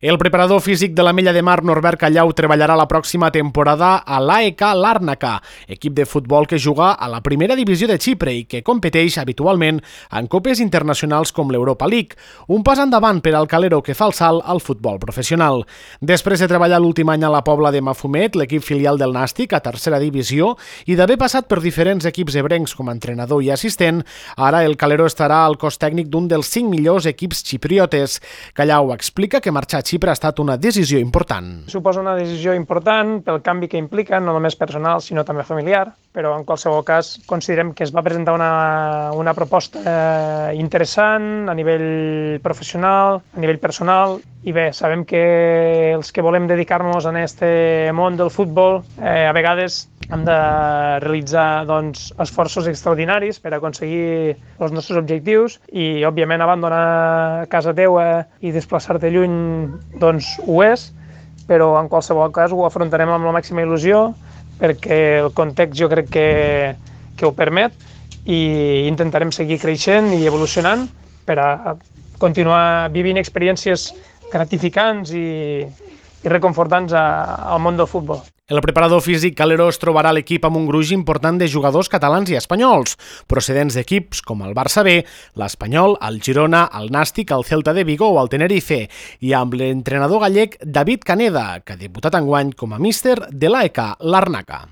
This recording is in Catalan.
El preparador físic de l'Ametlla de Mar, Norbert Callau, treballarà la pròxima temporada a l'AEK Larnaca, equip de futbol que juga a la primera divisió de Xipre i que competeix habitualment en copes internacionals com l'Europa League, un pas endavant per al calero que fa el salt al futbol professional. Després de treballar l'últim any a la Pobla de Mafumet, l'equip filial del Nàstic a tercera divisió, i d'haver passat per diferents equips ebrencs com a entrenador i assistent, ara el calero estarà al cos tècnic d'un dels 5 millors equips xipriotes. Callau explica que marxar a Xipre ha estat una decisió important. Suposa una decisió important pel canvi que implica, no només personal, sinó també familiar, però en qualsevol cas considerem que es va presentar una proposta interessant a nivell professional, a nivell personal, i bé, sabem que els que volem dedicar-nos a aquest món del futbol a vegades hem de realitzar esforços extraordinaris per aconseguir els nostres objectius i, òbviament, abandonar casa teva i desplaçar-te lluny ho és, però en qualsevol cas ho afrontarem amb la màxima il·lusió perquè el context jo crec que ho permet i intentarem seguir creixent i evolucionant per a continuar vivint experiències gratificants i reconfortants al món del futbol. El preparador físic calero es trobarà a l'equip amb un gruix important de jugadors catalans i espanyols, procedents d'equips com el Barça B, l'Espanyol, el Girona, el Nàstic, el Celta de Vigo o el Tenerife, i amb l'entrenador gallec David Caneda, que ha debutat enguany com a míster de l'AEK Larnaca.